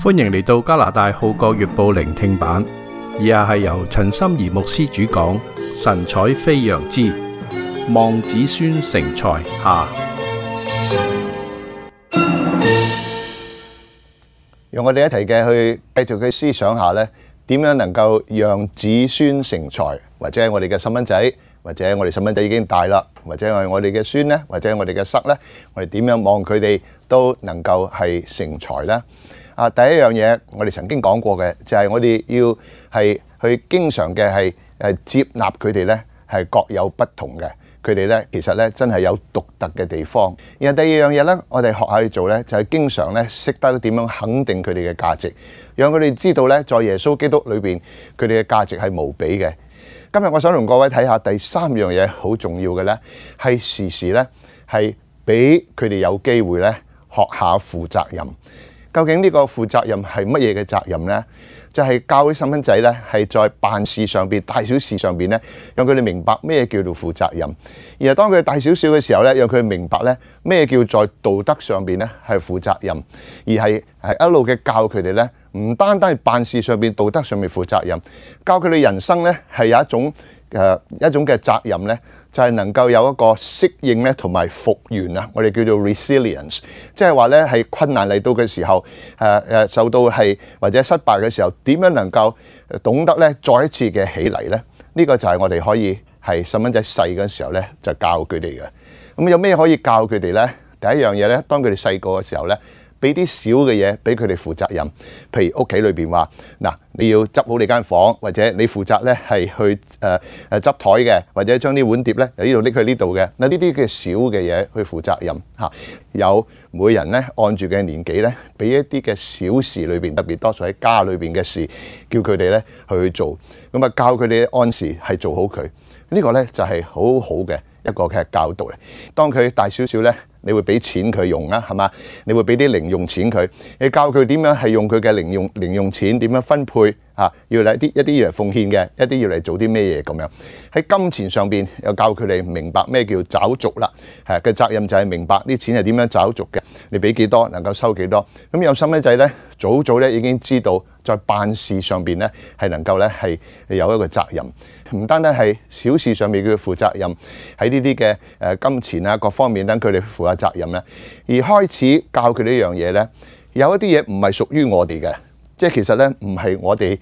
歡迎嚟到加拿大號角月報聆聽版，以下係由陳心怡牧師主講，神采飛揚之望子孫成才下。讓我哋一齊嘅去繼續去思想下咧，點樣能夠讓子孫成才，或者我哋嘅細蚊仔，或者我哋細蚊仔已經大啦，或者係我哋嘅孫咧，或者我哋嘅侄咧，我哋點樣望佢哋都能夠係成才咧？第一樣嘢我哋曾經講過嘅就係我哋要係去經常嘅係接納佢哋咧，係各有不同嘅。佢哋咧其實咧真係有獨特嘅地方。然後第二樣嘢咧，我哋學下去做咧，就係經常咧識得點樣肯定佢哋嘅價值，讓佢哋知道咧，在耶穌基督裏邊佢哋嘅價值係無比嘅。今日我想同各位睇下第三樣嘢好重要嘅咧，係時時咧係俾佢哋有機會咧學下負責任。究竟呢個負責任係乜嘢嘅責任呢？就係教啲細蚊仔咧，係在辦事上邊、大小事上邊咧，讓佢哋明白咩叫做負責任。而係當佢大少少嘅時候咧，讓佢哋明白咧咩叫在道德上邊咧係負責任，而係一路嘅教佢哋咧，唔單單係辦事上邊、道德上面負責任，教佢哋人生咧係有一種嘅責任咧，就係能夠有一個適應咧同埋復原啊，我哋叫做 resilience， 即係話咧係困難嚟到嘅時候，受到係或者失敗嘅時候，點樣能夠懂得咧再一次嘅起嚟咧？呢個就係我哋可以係細蚊仔細嘅時候咧就教佢哋嘅。咁有咩可以教佢哋咧？第一樣嘢咧，當佢哋細個嘅時候咧，俾啲小嘅嘢俾佢哋負責任，譬如屋企裏邊話嗱，你要執好你間房，或者你負責咧係去執台嘅，或者將啲碗碟咧由呢度拎去呢度嘅。嗱，呢啲嘅小嘅嘢去負責任嚇。有每人咧按住嘅年紀咧，俾一啲嘅小事裏邊，特別多數喺家裏邊嘅事，叫佢哋咧去做。咁啊，教佢哋按時係做好佢。呢個咧就係好好嘅一個嘅教導嚟。當佢大少少咧，你會俾錢佢用啦，係嘛？你會俾啲零用錢佢，你教佢點樣係用佢嘅零用錢，點樣分配啊？要嚟一啲要嚟奉獻嘅，一啲要嚟做啲咩嘢咁樣。喺金錢上邊又教佢哋明白咩叫找續啦。嘅責任就係明白啲錢係點樣找續嘅，你俾幾多能夠收幾多。咁有細蚊仔咧，早早咧已經知道在辦事上邊咧係能夠咧係有一個責任，唔單單係小事上面叫佢負責任，喺呢啲嘅金錢啊各方面等佢哋負下責任咧，而開始教佢呢樣嘢咧，有一啲嘢唔係屬於我哋嘅，即係其實咧唔係我哋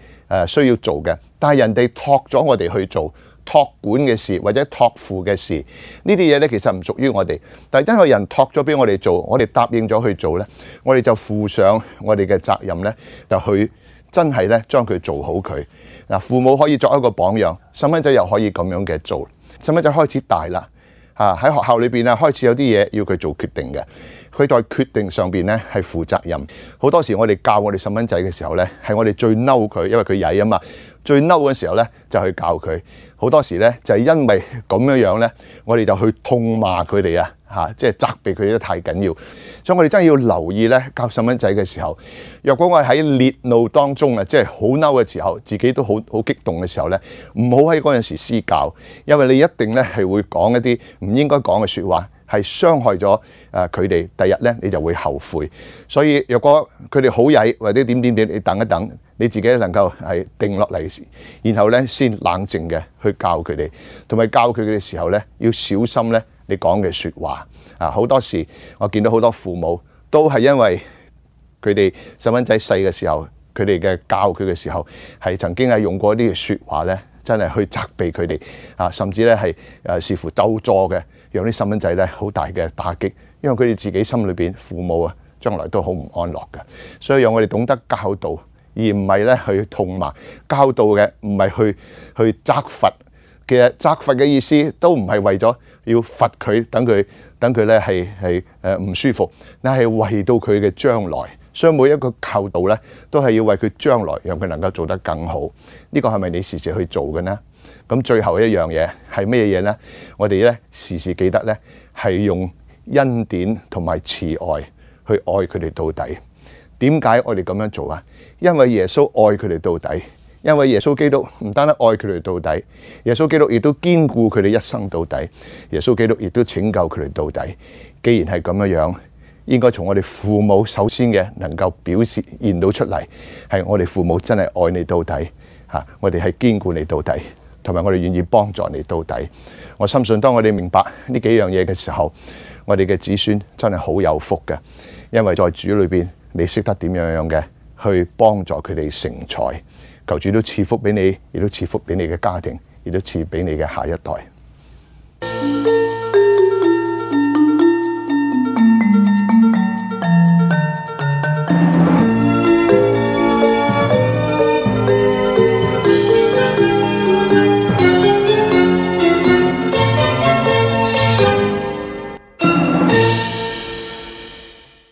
需要做嘅，但係人哋託咗我哋去做託管嘅事或者託付嘅事，呢啲嘢咧其實唔屬於我哋，但係因為人託咗俾我哋做，我哋答應咗去做咧，我哋就負上我哋嘅責任咧，就去真係咧將佢做好佢。嗱，父母可以作一個榜樣，細蚊仔又可以咁樣嘅做。細蚊仔開始大啦，喺學校裏邊啊開始有啲嘢要佢做決定嘅，佢在決定上邊咧係負責任。好多時我哋教我哋細蚊仔嘅時候咧，係我哋最嬲佢，因為佢曳啊嘛。最嬲嘅時候咧就去教佢，好多時咧就係因為咁樣咧，我哋就去痛罵佢哋啊，即係責備佢哋得太緊要。所以我哋真係要留意咧教細蚊仔嘅時候，若果我哋喺烈怒當中啊，即係好嬲嘅時候，自己都好激動嘅時候咧，唔好喺嗰陣時施教，因為你一定咧係會講一啲唔應該講嘅説話，係傷害咗佢哋。第日咧你就會後悔。所以若果佢哋好曳或者點，你等一等，你自己能夠係定落嚟，然後咧先冷靜嘅去教佢哋，同埋教佢哋嘅時候咧要小心咧你講嘅説話。好多時我見到好多父母都係因為佢哋細蚊仔細嘅時候，佢哋嘅教佢嘅時候係曾經係用過啲嘅説話咧，真係去責備佢哋甚至咧係視乎咒詛嘅，讓啲細蚊仔咧好大嘅打擊，因為佢哋自己心裏邊父母將來都好唔安樂嘅。所以讓我哋懂得教導，而唔係咧去痛罵。教導嘅唔係去責罰，其實責罰嘅意思都唔係為咗要罰佢，等佢咧係唔舒服，但係為到佢嘅將來。所以每一個教導咧都係要為佢將來，讓佢能夠做得更好。呢個係咪你時時去做嘅呢？咁最後一樣嘢係咩嘢呢？我哋咧時時記得咧係用恩典同埋慈愛去愛佢哋到底。點解我哋咁樣做啊？因為耶穌愛佢哋到底，因為耶穌基督唔單單愛佢哋到底，耶穌基督亦都堅固佢哋一生到底，耶穌基督亦都拯救佢哋到底。既然係咁樣，應該從我哋父母首先嘅能夠表現到出嚟，係我哋父母真係愛你到底嚇，我哋係堅固你到底，同埋我哋願意幫助你到底。我深信當我哋明白呢幾樣嘢嘅時候，我哋嘅子孫真係好有福嘅，因為在主裏邊，你識得點樣嘅去幫助佢哋成才。求主都賜福俾你，亦都賜福俾你嘅家庭，亦都賜俾你嘅下一代。